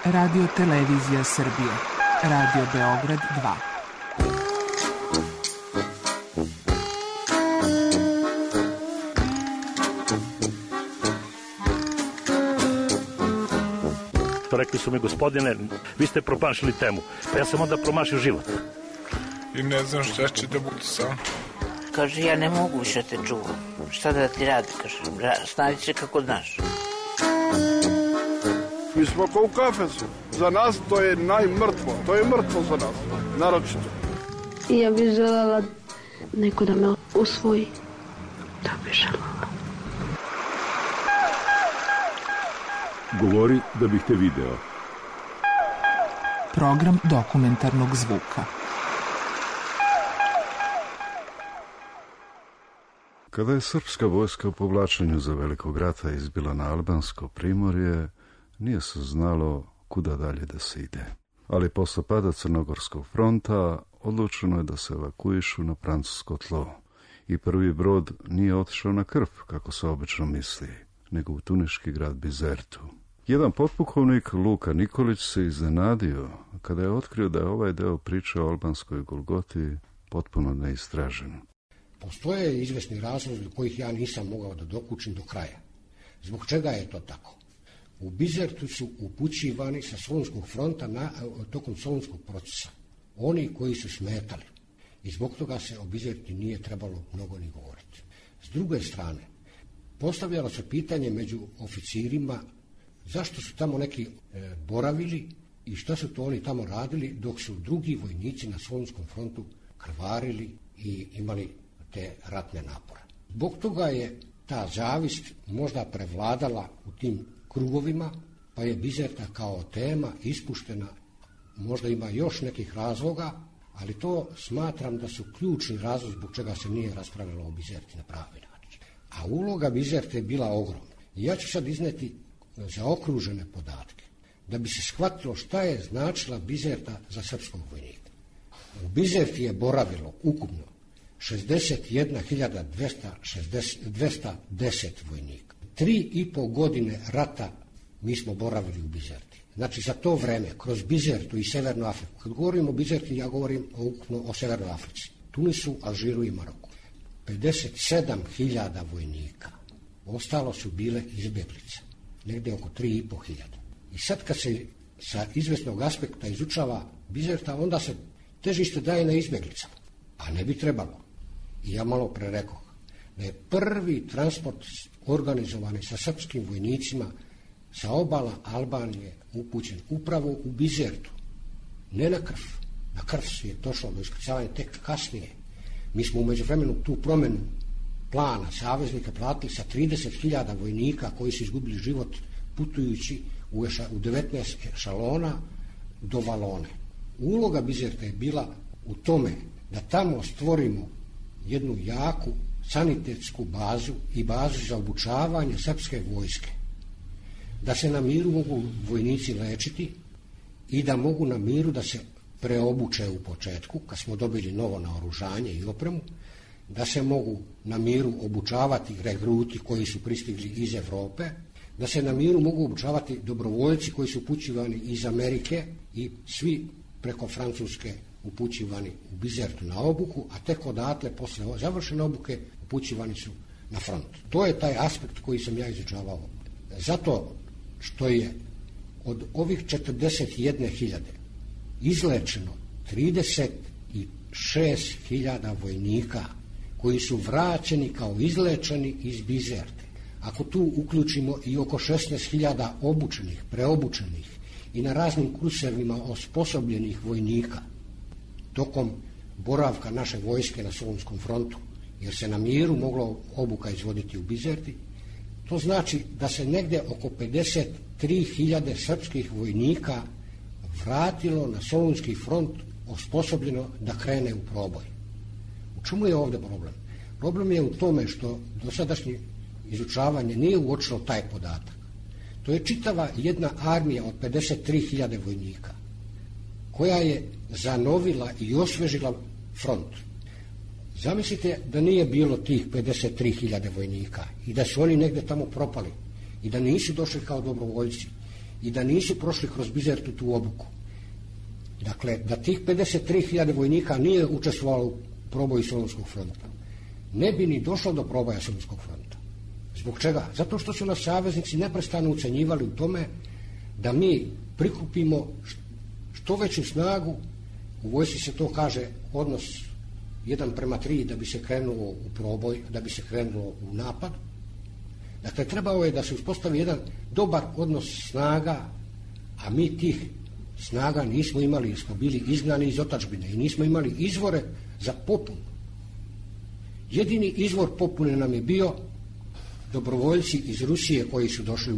Radio Televizija Srbije. Radio Beograd 2. Rekli su mi, gospodine, vi ste promašili temu. Pa ja sam onda promašio život. I ne znam šta će da bude sam. Kaže, ja ne mogu više te čuvam. Šta da ti radi, kaže, snađi se kako znaš. Mi smo kao u kafesu. Za nas to je najmrtvo. To je mrtvo za nas, naročito. Ja bih želela neko da me usvoji. Da bih želela. Govori da bih te video. Program dokumentarnog zvuka. Kada je srpska vojska u povlačenju za Velikog rata izbila na albansko primorje, nije se znalo kuda dalje da se ide. Ali posle pada Crnogorskog fronta odlučeno je da se evakuišu na francusko tlo. I prvi brod nije otišao na Krf, kako se obično misli, nego u tuniški grad Bizertu. Jedan potpukovnik, Luka Nikolić, se iznenadio kada je otkrio da je ovaj deo priče o albanskoj Golgoti potpuno neistražen. Postoje izvesni razlozi kojih ja nisam mogao da dokučim do kraja. Zbog čega je to tako? U Bizertu su upućivani sa Solunskog fronta tokom Solunskog procesa oni koji su smetali. I zbog toga se o Bizerti nije trebalo mnogo ni govoriti. S druge strane, postavljalo se pitanje među oficirima zašto su tamo neki boravili i šta su to oni tamo radili dok su drugi vojnici na Solunskom frontu krvarili i imali te ratne napore. Zbog toga je ta zavist možda prevladala u tim krugovima, pa je Bizerta kao tema ispuštena. Možda ima još nekih razloga, ali to smatram da su ključni razlog zbog čega se nije raspravljalo o Bizerti na pravi način. A uloga Bizerte je bila ogromna. I ja ću sad izneti zaokružene podatke, da bi se shvatilo šta je značila Bizerta za srpskog vojnika. U Bizerti je boravilo ukupno 61.210 vojnika. 3,5 godine rata mi smo boravili u Bizerti. Znači za to vreme, kroz Bizertu i Severnu Afriku, kad govorim o Bizerti, ja govorim ukupno o Severnoj Africi, Tunisu, Alžiru i Maroku. 57.000 vojnika. Ostalo su bile izbjeglice. Negdje oko 3.500. I sad kad se sa izvesnog aspekta izučava Bizerta, onda se težište daje na izbjeglicama. A ne bi trebalo. I ja malo pre rekoh da je prvi transport organizovani sa srpskim vojnicima sa obala Albanije upućen upravo u Bizertu. Ne na Krf. Na Krf je došlo do iskrcavanja tek kasnije. Mi smo u međuvremenu tu promjenu plana saveznika platili sa 30.000 vojnika koji su izgubili život putujući u 19 ešalona do Valone. Uloga Bizerta je bila u tome da tamo stvorimo jednu jaku sanitetsku bazu i bazu za obučavanje srpske vojske. Da se na miru mogu vojnici lečiti i da mogu na miru da se preobuče u početku, kad smo dobili novo naoružanje i opremu, da se mogu na miru obučavati regruti koji su pristigli iz Evrope, da se na miru mogu obučavati dobrovoljci koji su upućivani iz Amerike i svi preko Francuske upućivani u Bizertu na obuku, a tek odatle posle završene obuke upućivani su na front. To je taj aspekt koji sam ja izučavao. Zato što je od ovih 41.000 izlečeno 36.000 vojnika koji su vraćeni kao izlečeni iz Bizerte. Ako tu uključimo i oko 16.000 obučenih, preobučenih i na raznim kursevima osposobljenih vojnika tokom boravka naše vojske na Solunskom frontu, jer se na miru moglo obuka izvoditi u Bizerti, to znači da se negdje oko 53.000 srpskih vojnika vratilo na Solunski front osposobljeno da krene u proboj. U čemu je ovdje problem? Problem je u tome što dosadašnje izučavanje nije uočilo taj podatak. To je čitava jedna armija od 53.000 vojnika koja je zanovila i osvežila front. Zamislite da nije bilo tih 53.000 vojnika i da su oni negdje tamo propali i da nisu došli kao dobrovoljci i da nisu prošli kroz Bizertu tu obuku. Dakle, da tih 53.000 vojnika nije učestvovalo u proboju Solunskog fronta, ne bi ni došlo do proboja Solunskog fronta. Zbog čega? Zato što su nas saveznici neprestano ucenjivali u tome da mi prikupimo što veću snagu, u vojsci se to kaže odnos 1:3 da bi se krenulo u proboj, da bi se krenulo u napad. Dakle, trebao je da se uspostavi jedan dobar odnos snaga, a mi tih snaga nismo imali, jer smo bili izgnani iz otadžbine i nismo imali izvore za popunu. Jedini izvor popune nam je bio dobrovoljci iz Rusije koji su došli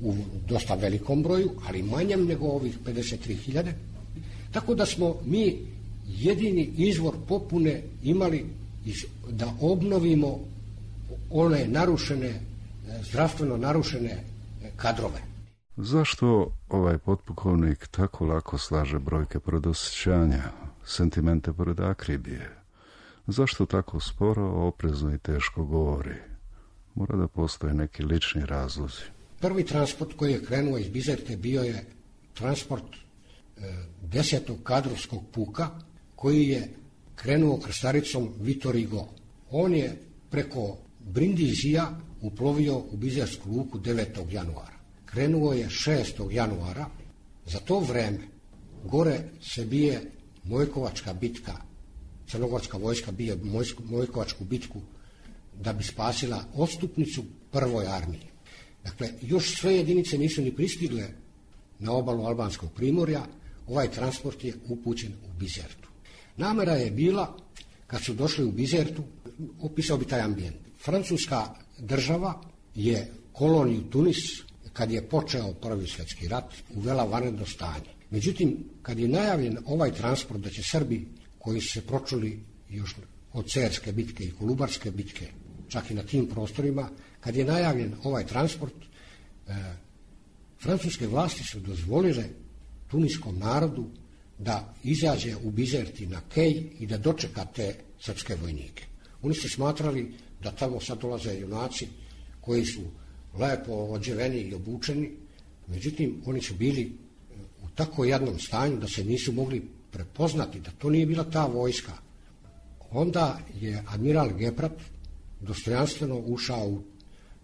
u dosta velikom broju, ali manjem nego ovih 53.000. Tako da smo mi jedini izvor popune imali da obnovimo one narušene, zdravstveno narušene kadrove. Zašto ovaj potpukovnik tako lako slaže brojke pored osjećanja, sentimente pored akribije? Zašto tako sporo, oprezno i teško govori? Mora da postoje neki lični razlozi. Prvi transport koji je krenuo iz Bizerte bio je transport 10. kadrovskog puka koji je krenuo krstaricom Vitor Hugo. On je preko Brindizija uplovio u Bizersku luku 9. januara. Krenuo je 6. januara. Za to vreme gore se bije Mojkovačka bitka. Crnogorska vojska bije Mojkovačku bitku da bi spasila odstupnicu prvoj armiji. Dakle, još sve jedinice nisu ni pristigle na obalu Albanskog primorja, ovaj transport je upućen u Bizertu. Namera je bila, kad su došli u Bizertu, opisao bi taj ambijent. Francuska država je koloniju Tunis, kad je počeo Prvi svjetski rat, uvela vanredno stanje. Međutim, kad je najavljen ovaj transport da će Srbi, koji su se pročuli još od Cerske bitke i Kolubarske bitke, čak i na tim prostorima, kad je najavljen ovaj transport, francuske vlasti su dozvolile tuniskom narodu da izađe u Bizerti na kej i da dočeka te srpske vojnike. Oni su smatrali da tamo sad dolaze junaci koji su lepo odjeveni i obučeni, međutim oni su bili u tako jednom stanju da se nisu mogli prepoznati, da to nije bila ta vojska. Onda je admiral Geprat dostojanstveno ušao u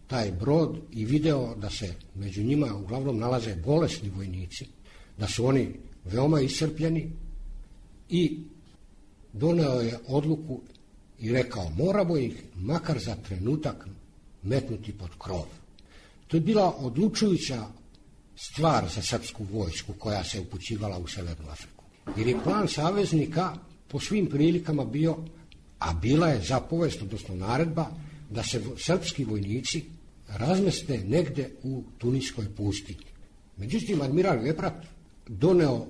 taj brod i video da se među njima uglavnom nalaze bolesni vojnici, da su oni veoma iscrpljeni i doneo je odluku i rekao moramo ih makar za trenutak metnuti pod krov. To je bila odlučujuća stvar za srpsku vojsku koja se upućivala u Severnu Afriku. Jer je plan saveznika po svim prilikama bio, a bila je zapovest, odnosno naredba, da se srpski vojnici razmeste negde u Tuniskoj pustinji. Međutim, admiral Geprat doneo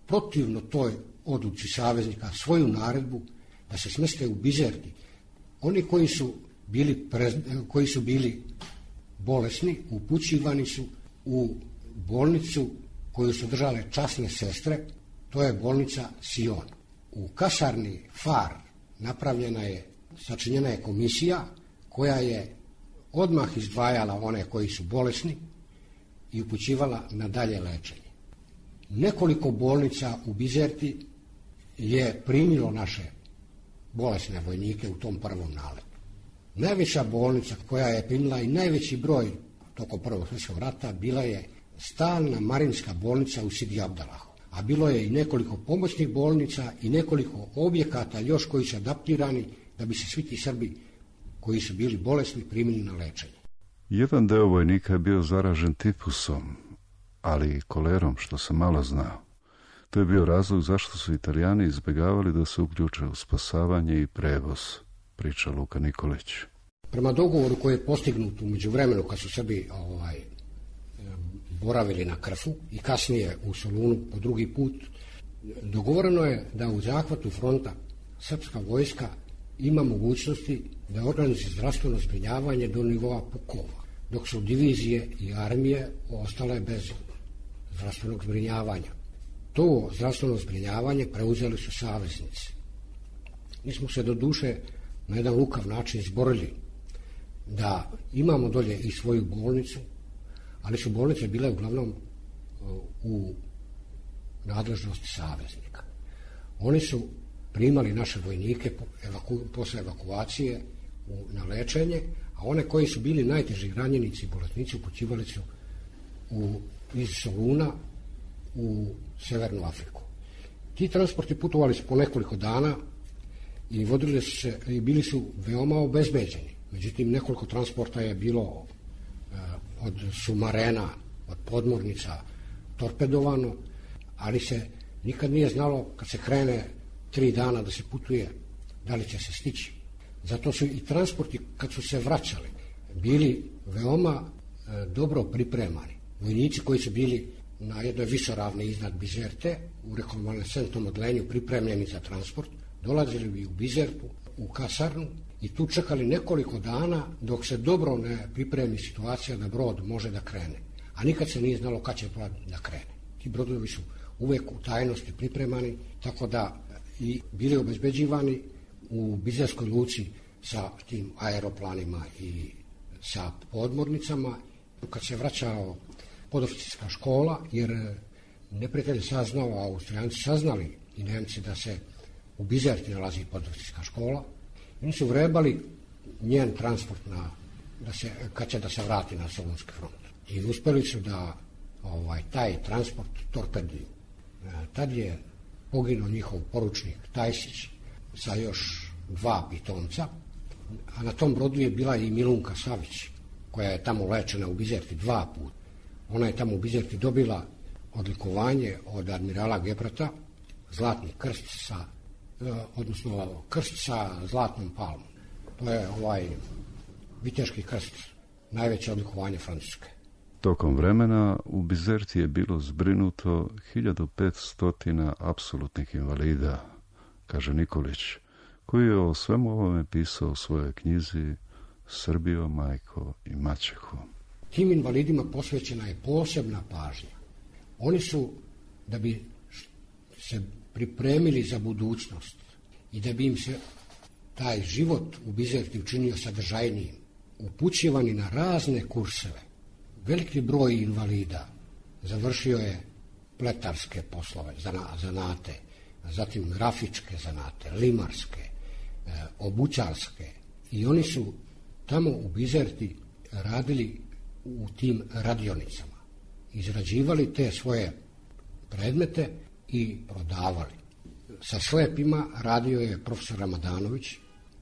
protivno toj odluci saveznika svoju naredbu da se smeste u Bizerti. Oni koji su bili bolesni upućivani su u bolnicu koju su držale časne sestre, to je bolnica Sion. U kasarni Far sačinjena je komisija koja je odmah izdvajala one koji su bolesni i upućivala na dalje lečenje. Nekoliko bolnica u Bizerti je primilo naše bolesne vojnike u tom prvom naletu. Najveća bolnica koja je primila i najveći broj tokom Prvog svjetskog rata bila je stalna marinska bolnica u Sidi Abdalahu. A bilo je i nekoliko pomoćnih bolnica i nekoliko objekata još koji su adaptirani da bi se svi ti Srbi koji su bili bolesni primili na lečenje. Jedan deo vojnika je bio zaražen tifusom, ali i kolerom, što se malo zna. To je bio razlog zašto su Italijani izbjegavali da se uključe u spasavanje i prevoz, priča Luka Nikolić. Prema dogovoru koji je postignut u međuvremenu kad su Srbi boravili na Krfu i kasnije u Solunu po drugi put, dogovoreno je da u zahvatu fronta srpska vojska ima mogućnosti da organizuje zdravstveno zbrinjavanje do nivoa pukova, dok su divizije i armije ostale bez zdravstvenog zbrinjavanja. To zdravstveno zbrinjavanje preuzeli su saveznici. Mi smo se do duše na jedan lukav način izborili da imamo dolje i svoju bolnicu, ali su bolnice bile uglavnom u nadležnosti saveznika. Oni su primali naše vojnike posle evakuacije na lečenje, a one koji su bili najteži ranjenici i bolesnici upućivali su iz Soluna u Severnu Afriku. Ti transporti putovali su po nekoliko dana i vodili su se i bili su veoma obezbeđeni. Međutim, nekoliko transporta je bilo od sumarena, od podmornica torpedovano, ali se nikad nije znalo kad se krene 3 dana da se putuje, da li će se stići. Zato su i transporti kad su se vraćali bili veoma dobro pripremani. Vojnici koji su bili na jednoj visoravni iznad Bizerte, u rekonvalescentnom odlenju pripremljeni za transport, dolazili bi u Bizertu, u kasarnu i tu čekali nekoliko dana dok se dobro ne pripremi situacija da brod može da krene. A nikad se nije znalo kad će brod da krene. Ti brodovi su uvek u tajnosti pripremani, tako da i bili obezbeđivani u Bizerskoj luci sa tim aeroplanima i sa podmornicama. Kad se vraćao podoficirska škola, jer neprijatelj je saznao, a Austrijanci saznali i Nemci da se u Bizerti nalazi podoficirska škola, oni su vrebali njen transport kad će da se vrati na Solunski front. I uspeli su da taj transport torpeduju. Tad je poginuo njihov poručnik Tajsić sa još 2 pitomca, a na tom brodu je bila i Milunka Savić, koja je tamo lečena u Bizerti 2 puta. Ona je tamo u Bizerti dobila odlikovanje od admirala Geprata, zlatni krst odnosno krst sa zlatnom palmom. To je viteški krst, najveće odlikovanje Francuske. Tokom vremena u Bizerti je bilo zbrinuto 1500 apsolutnih invalida, kaže Nikolić, koji je o svemu ovome pisao u svojoj knjizi Srbijo, majko i maćeho. Tim invalidima posvećena je posebna pažnja. Oni su, da bi se pripremili za budućnost i da bi im se taj život u Bizerti učinio sadržajnijim, upućivani na razne kurseve. Veliki broj invalida završio je pletarske poslove, zanate, zatim grafičke zanate, limarske, obućarske, i oni su tamo u Bizerti radili u tim radionicama. Izrađivali te svoje predmete i prodavali. Sa slepima radio je profesor Ramadanović,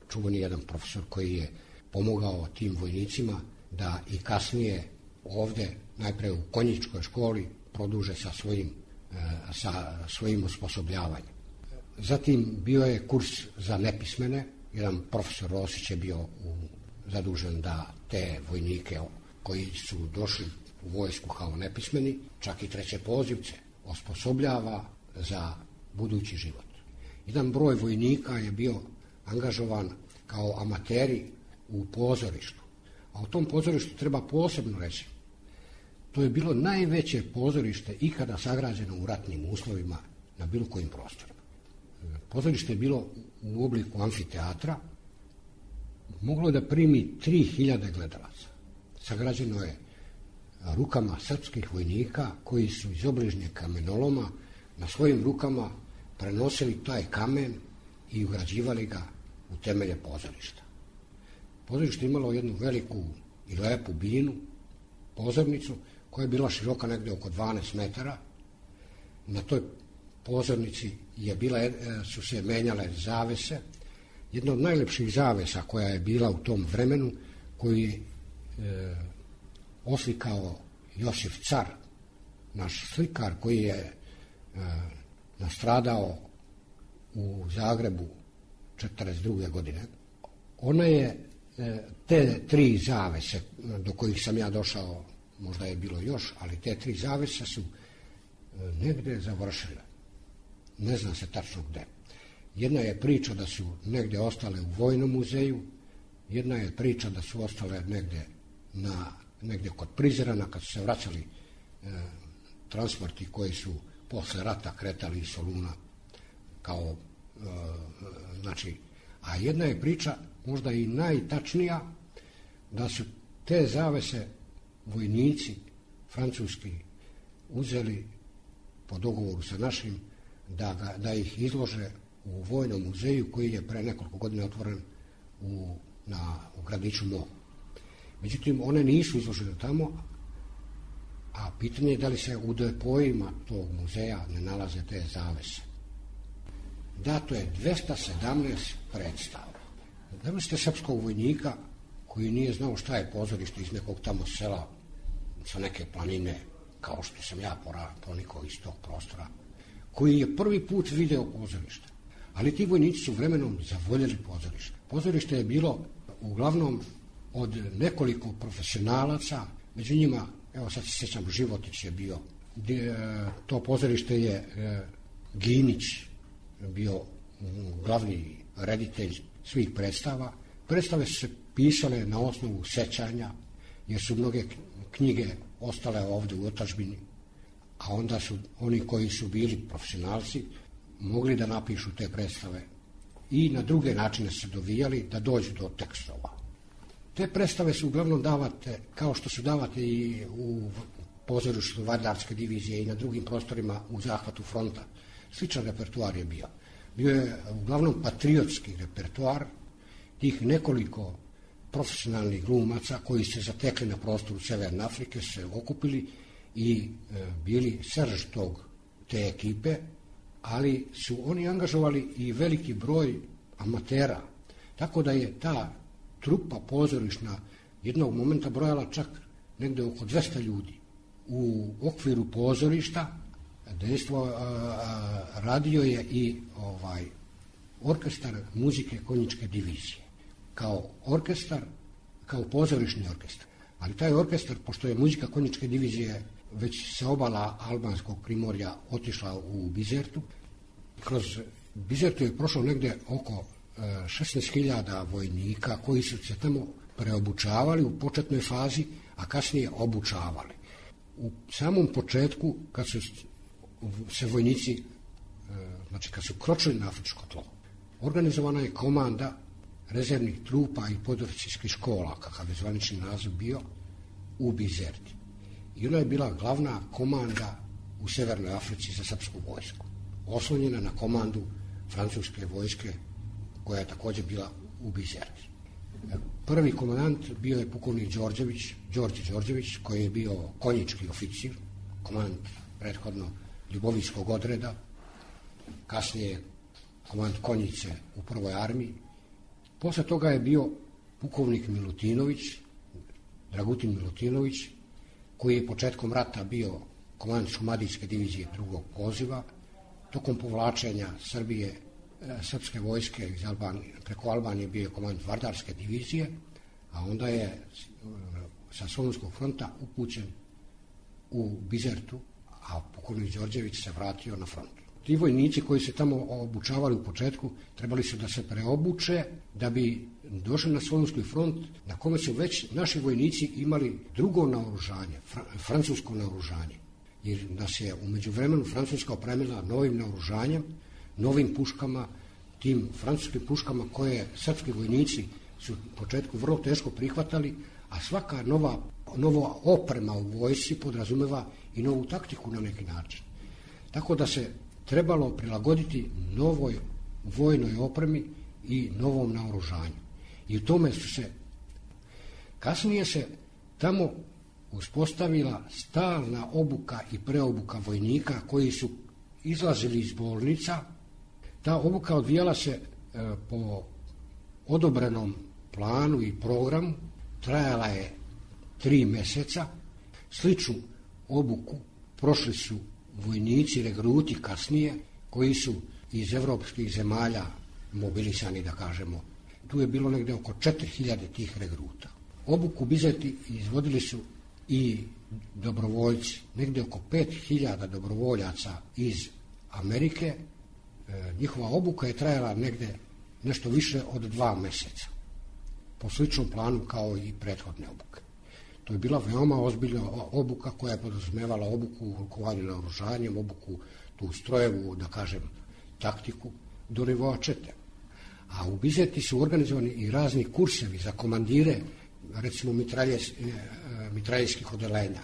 čuveni jedan profesor koji je pomogao tim vojnicima da i kasnije ovde, najpre u konjičkoj školi, produže sa svojim osposobljavanjem. Zatim bio je kurs za nepismene, jedan profesor Rosić je bio zadužen da te vojnike koji su došli u vojsku kao nepismeni, čak i treće pozivce, osposobljava za budući život. Jedan broj vojnika je bio angažovan kao amateri u pozorištu. A u tom pozorištu treba posebno reći, to je bilo najveće pozorište ikada sagrađeno u ratnim uslovima na bilo kojim prostorima. Pozorište je bilo u obliku amfiteatra, moglo da primi 3000 gledalaca. Sagrađeno je rukama srpskih vojnika koji su iz obližnjeg kamenoloma na svojim rukama prenosili taj kamen i ugrađivali ga u temelje pozorišta. Pozorište imalo jednu veliku i lepu binu, pozornicu, koja je bila široka negde oko 12 metara. Na toj pozornici su se menjale zavese. Jedna od najlepših zavesa koja je bila u tom vremenu, koji oslikao Josif Car, naš slikar koji je nastradao u Zagrebu 1942. godine. Ona je te 3 zavese do kojih sam ja došao, možda je bilo još, ali te 3 zavese su negde završile. Ne zna se tačno gde. Jedna je priča da su negde ostale u Vojnom muzeju, jedna je priča da su ostale negde kod Prizrena, kad su se vraćali transporti koji su posle rata kretali iz Soluna a jedna je priča, možda i najtačnija, da su te zavese vojnici francuski uzeli po dogovoru sa našim da ih izlože u Vojnom muzeju koji je pre nekoliko godina otvoren u gradiću Mo. Međutim, one nisu izložene tamo, a pitanje je da li se u depojima tog muzeja ne nalaze te zavese. Dato je 217 predstava. Zamislite srpskog vojnika koji nije znao šta je pozorište iz nekog tamo sela sa neke planine, kao što sam ja pronikao iz tog prostora, koji je prvi put video pozorište. Ali ti vojnici su vremenom zavoljeli pozorište. Pozorište je bilo uglavnom od nekoliko profesionalaca, među njima, evo sad se sjećam, Životić je bio, to pozorište je Ginić bio glavni reditelj svih predstava. Predstave su se pisale na osnovu sećanja, jer su mnoge knjige ostale ovde u otadžbini, a onda su oni koji su bili profesionalci mogli da napišu te predstave i na druge načine se dovijali da dođu do tekstova. Te predstave su uglavnom davate, kao što su davate i u pozorištu Vardarske divizije i na drugim prostorima u zahvatu fronta. Sličan repertoar je bio. Bio je uglavnom patriotski repertoar tih nekoliko profesionalnih glumaca koji se zatekli na prostoru Severne Afrike, se okupili i bili srž te ekipe, ali su oni angažovali i veliki broj amatera, tako da je ta trupa pozorišna jednog momenta brojala čak negde oko 200 ljudi. U okviru pozorišta dejstvo radio je i orkestar muzike konjičke divizije. Kao orkestar, kao pozorišni orkestar. Ali taj orkestar, pošto je muzika konjičke divizije već sa obala albanskog primorja otišla u Bizertu, kroz Bizertu je prošlo negde oko 16.000 vojnika koji su se tamo preobučavali u početnoj fazi, a kasnije obučavali. U samom početku, kad su se vojnici, znači kad su kročili na afričko tlo, organizovana je komanda rezervnih trupa i podoficirskih škola, kakav je zvanični naziv bio, u Bizerti. I ona je bila glavna komanda u Severnoj Africi za srpsku vojsku, oslonjena na komandu francuske vojske, koja je također bila u Bizerti. Prvi komandant bio je pukovnik Đorđe Đorđević, koji je bio konjički oficir, komandant prethodno Ljubovijskog odreda, kasnije komandant konjice u prvoj armiji. Posle toga je bio pukovnik Milutinović, Dragutin Milutinović, koji je početkom rata bio komandant Šumadijske divizije drugog poziva. Tokom povlačenja srpske vojske iz Albanije, preko Albanije bio je komandant Vardarske divizije, a onda je sa Solunskog fronta upućen u Bizertu, a pukovnik Đorđević se vratio na front. Ti vojnici koji se tamo obučavali u početku trebali su da se preobuče da bi došli na Solunski front, na kome su već naši vojnici imali drugo naoružanje, francusko naoružanje. Jer nas je u međuvremenu Francuska opremila novim naoružanjem, novim puškama, tim francuskim puškama koje srpski vojnici su u početku vrlo teško prihvatali, a svaka nova oprema u vojsci podrazumeva i novu taktiku na neki način. Tako da se trebalo prilagoditi novoj vojnoj opremi i novom naoružanju. I u tome su se kasnije se tamo uspostavila stalna obuka i preobuka vojnika koji su izlazili iz bolnica. Ta obuka odvijala se po odobrenom planu i programu, trajala je 3 meseca. Sličnu obuku prošli su vojnici, regruti kasnije, koji su iz evropskih zemalja mobilisani, da kažemo. Tu je bilo negde oko 4.000 tih regruta. Obuku Bizerti izvodili su i dobrovoljci, negde oko 5.000 dobrovoljaca iz Amerike. Njihova obuka je trajala negde nešto više od 2 meseca, po sličnom planu kao i prethodne obuke. To je bila veoma ozbiljna obuka koja je podrazumevala obuku u rukovanju naoružanjem, obuku tu strojevu, da kažem, taktiku do nivoa čete. A u Bizerti su organizovani i razni kursevi za komandire, recimo mitraljskih odelenja,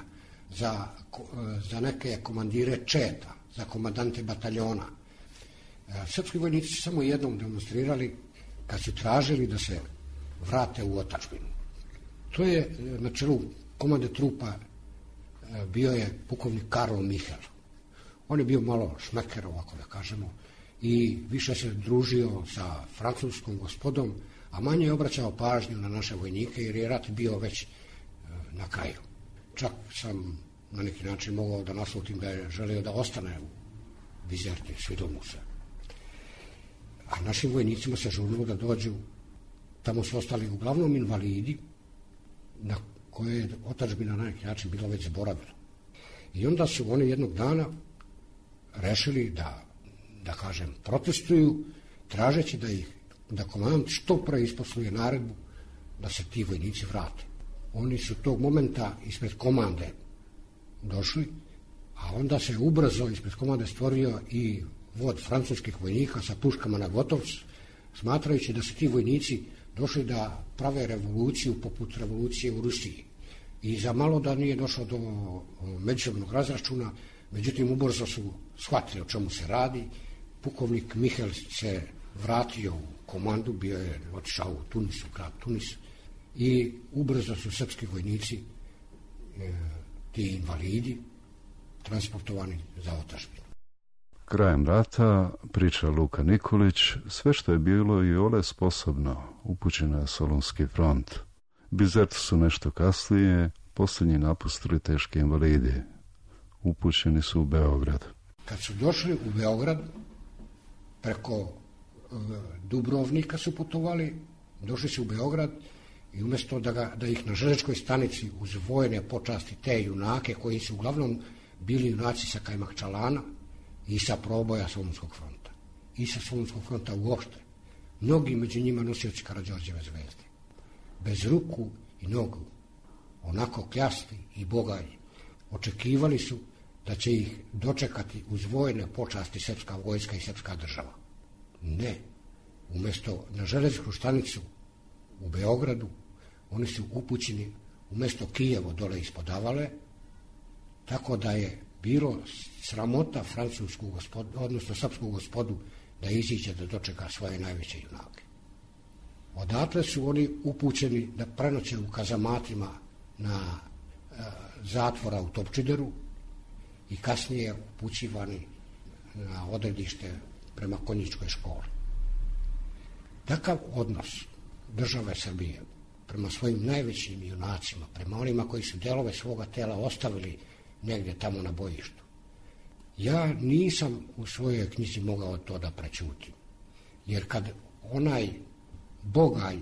za neke komandire četa, za komandante bataljona. Srpski vojnici su samo jednom demonstrirali kad su tražili da se vrate u otadžbinu. To je na čelu komande trupa bio je pukovnik Karlo Michel. On je bio malo šmeker, ovako da kažemo, i više se družio sa francuskom gospodom, a manje je obraćao pažnju na naše vojnike, jer je rat bio već na kraju. Čak sam na neki način mogao da naslutim da je želio da ostane u Bizerti, svidelo mu se. A našim vojnicima se žurilo da dođu, tamo su ostali uglavnom invalidi, na koje je otadžbina na neki način bila već zaboravila. I onda su oni jednog dana rešili da kažem, protestuju, tražeći da komandant što pre isposluje naredbu da se ti vojnici vrate. Oni su tog momenta ispred komande došli, a onda se ubrzo ispred komande stvorio i vod francuskih vojnika sa puškama na gotovc, smatrajući da su ti vojnici došli da prave revoluciju poput revolucije u Rusiji. I za malo da nije došlo do međusobnog razračuna, međutim ubrzo su shvatili o čemu se radi. Pukovnik Michel se vratio u komandu, bio je otišao u Tunis, u grad Tunis, i ubrzo su srpski vojnici, ti invalidi, transportovani za otadžbinu. Krajem rata, priča Luka Nikolić, sve što je bilo i ole sposobno upućeno je Solunski front. Bizertu su nešto kasnije posljednji napustili teški invalidi. Upućeni su u Beograd. Kad su došli u Beograd, preko Dubrovnika su putovali, došli su u Beograd i umjesto da ih na železničkoj stanici uz vojne počasti te junake, koji su uglavnom bili junaci sa Kajmakčalana i sa proboja Solunskog fronta i sa Solunskog fronta uopšte, mnogi među njima nosioci Karađorđeve zvezde, bez ruku i nogu, onako kljasti i bogalji, očekivali su da će ih dočekati uz vojne počasti srpska vojska i srpska država. Ne. Umjesto na železničku stanicu u Beogradu, oni su upućeni umjesto Kijevo dole ispod Avale, tako da je bilo sramota francusku gospodu, odnosno srpsku gospodu, da iziđe da dočeka svoje najveće junake. Odatle su oni upućeni da prenoće u kazamatima na zatvora u Topčideru i kasnije upućivani na odredište prema konjičkoj školi. Takav odnos države Srbije prema svojim najvećim junacima, prema onima koji su delove svoga tela ostavili negdje tamo na bojištu, ja nisam u svojoj knjizi mogao to da prećutim. Jer kad onaj bogalj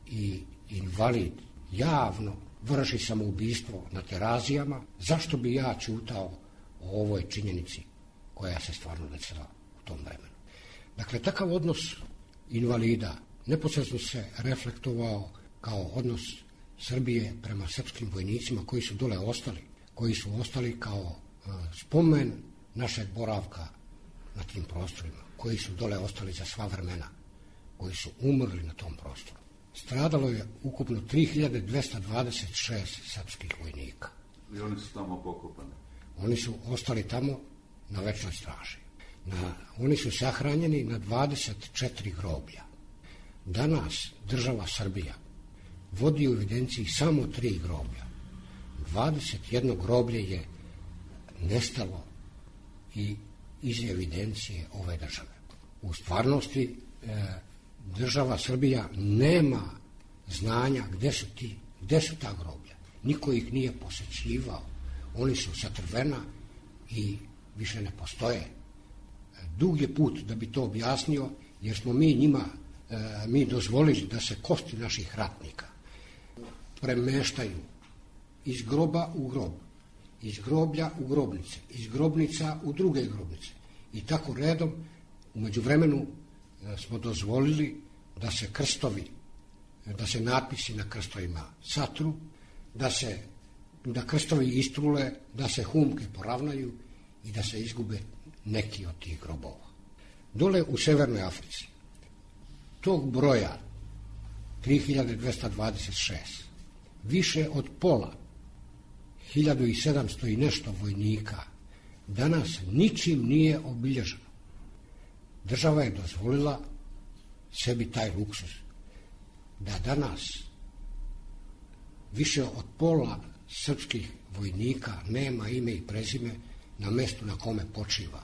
i invalid javno vrši samoubistvo na Terazijama, zašto bi ja ćutao o ovoj činjenici koja se stvarno desila u tom vremenu? Dakle, takav odnos invalida neposredno se reflektovao kao odnos Srbije prema srpskim vojnicima koji su dole ostali, koji su ostali kao spomen našeg boravka na tim prostorima, koji su dole ostali za sva vremena, koji su umrli na tom prostoru. Stradalo je ukupno 3226 srpskih vojnika. I oni su tamo pokopani? Oni su ostali tamo na večnoj straži. Oni su sahranjeni na 24 groblja. Danas država Srbija vodi u evidenciji samo 3 groblja. 21 groblje je nestalo i iz evidencije ove države. U stvarnosti država Srbija nema znanja gde su ta groblja. Niko ih nije posećivao. Oni su satrvena i više ne postoje. Dug je put da bi to objasnio, jer smo mi dozvolili da se kosti naših ratnika premeštaju iz groba u grob, iz groblja u grobnice, iz grobnica u druge grobnice. I tako redom, u međuvremenu smo dozvolili da se krstovi, da se natpisi na krstovima satru, da krstovi istrule, da se humke poravnaju i da se izgube neki od tih grobova. Dole u Severnoj Africi, tog broja 3226, više od pola 1700 i nešto vojnika danas ničim nije obilježeno. Država je dozvolila sebi taj luksuz da danas više od pola srpskih vojnika nema ime i prezime na mestu na kome počiva.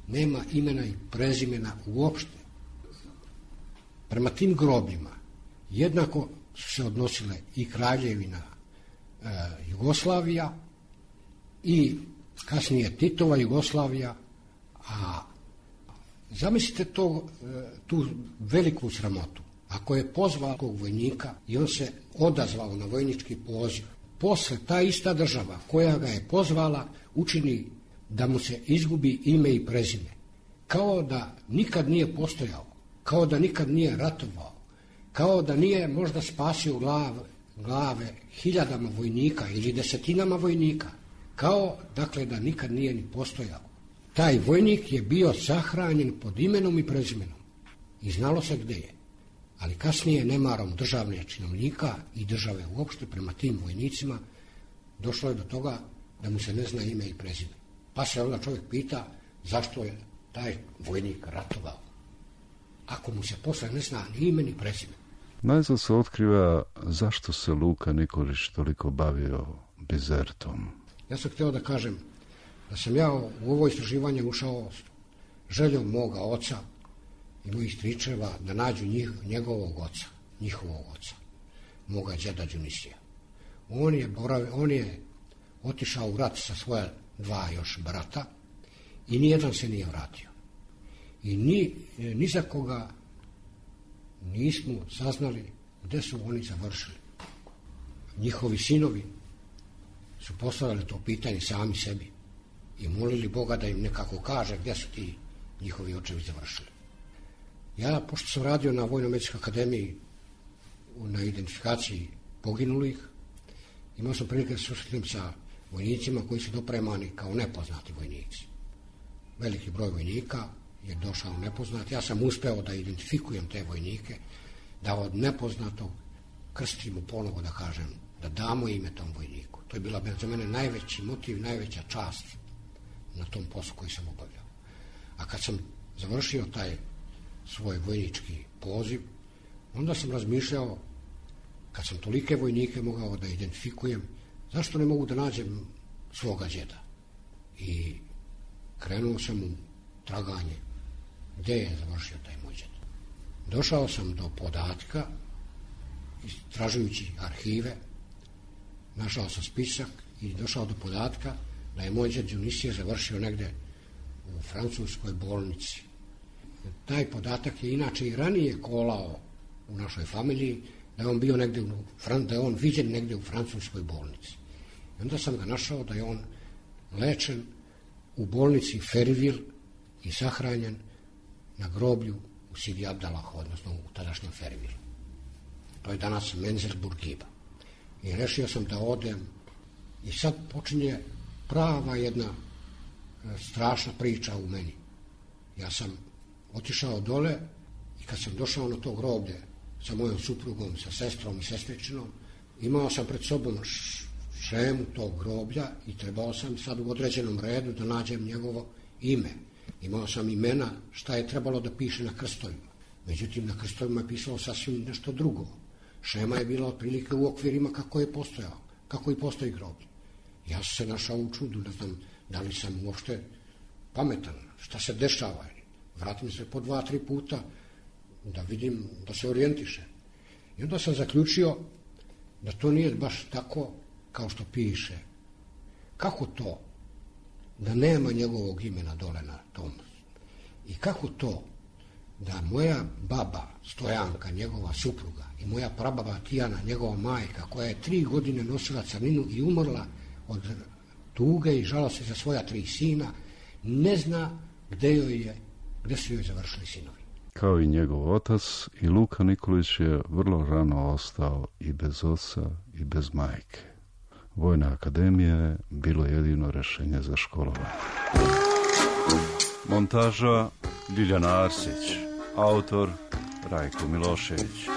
Nema imena i prezimena uopšte. Prema tim grobljima jednako su se odnosile i Kraljevina Jugoslavija i kasnije Titova Jugoslavija, a zamislite tu veliku sramotu. Ako je pozvao tog vojnika i on se odazvao na vojnički poziv, posle ta ista država koja ga je pozvala učini da mu se izgubi ime i prezime, kao da nikad nije postojao, kao da nikad nije ratovao, kao da nije možda spasio glave hiljadama vojnika ili desetinama vojnika, kao dakle da nikad nije ni postojao. Taj vojnik je bio sahranjen pod imenom i prezimenom i znalo se gde je. Ali kasnije nemarom državne činovnika i države uopšte prema tim vojnicima došlo je do toga da mu se ne zna ime i prezime. Pa se onda čovjek pita zašto je taj vojnik ratovao, ako mu se posle ne zna ni ime ni prezime. Najzad se otkriva zašto se Luka Nikolić toliko bavio Bizertom. Ja sam htio da kažem da sam ja u ovo istraživanje ušao željom moga oca i mojih stričeva da nađu njegovog oca, njihovog oca, moga djeda Đunisija. On je otišao u rat sa svoja dva još brata i nijedan se nije vratio. I ni za koga nismo saznali gde su oni završili. Njihovi sinovi su postavili to pitanje sami sebi i molili Boga da im nekako kaže gdje su ti njihovi očevi završili. Ja, pošto sam radio na Vojno-medicinskoj akademiji na identifikaciji poginulih, imao sam prilike da se susretim sa vojnicima koji su dopremani kao nepoznati vojnici. Veliki broj vojnika je došao nepoznat. Ja sam uspeo da identifikujem te vojnike, da od nepoznatog krstimo ponovo, da kažem, da damo ime tom vojniku. To je bila za mene najveći motiv, najveća čast na tom poslu koji sam obavljao. A kad sam završio taj svoj vojnički poziv, onda sam razmišljao, kad sam tolike vojnike mogao da identifikujem, zašto ne mogu da nađem svoga djeda? I krenuo sam u traganje gde je završio taj moj djed. Došao sam do podatka, istražujući arhive, našao sam spisak i došao do podatka da je moj djed Đunisije završio negde u francuskoj bolnici. Taj podatak je inače i ranije kolao u našoj familiji, da je on bio negde da je on viđen negde u francuskoj bolnici. I onda sam ga našao da je on lečen u bolnici Ferivil i sahranjen na groblju u Sidi Abdalahu, odnosno u tadašnjem Ferivilu. To je danas Menzel Burgiba. I rešio sam da odem i sad počinje prava jedna strašna priča u meni. Ja sam otišao dole i kad sam došao na to groblje sa mojom suprugom, sa sestrom i sestričinom, imao sam pred sobom šemu tog groblja i trebao sam sad u određenom redu da nađem njegovo ime. Imao sam imena šta je trebalo da piše na krstovima. Međutim, na krstovima je pisalo sasvim nešto drugo. Šema je bila otprilike u okvirima kako je postojao, kako i postoji groblje. Ja sam se našao u čudu, ne znam da li sam uopšte pametan, šta se dešava. Vratim se po 2-3 puta da vidim, da se orijentiše. I onda sam zaključio da to nije baš tako kao što piše. Kako to da nema njegovog imena dole na tom? I kako to da moja baba Stojanka, njegova supruga, i moja prababa Tijana, njegova majka, koja je 3 godine nosila crninu i umrla od tuge i žalosti za svoja 3 sina, ne zna gde su joj završili sinovi. Kao i njegov otac, i Luka Nikolić je vrlo rano ostao i bez oca i bez majke. Vojna akademija je bilo jedino rešenje za školovanje. Montaža Ljiljana Arsić, autor Rajko Milošević.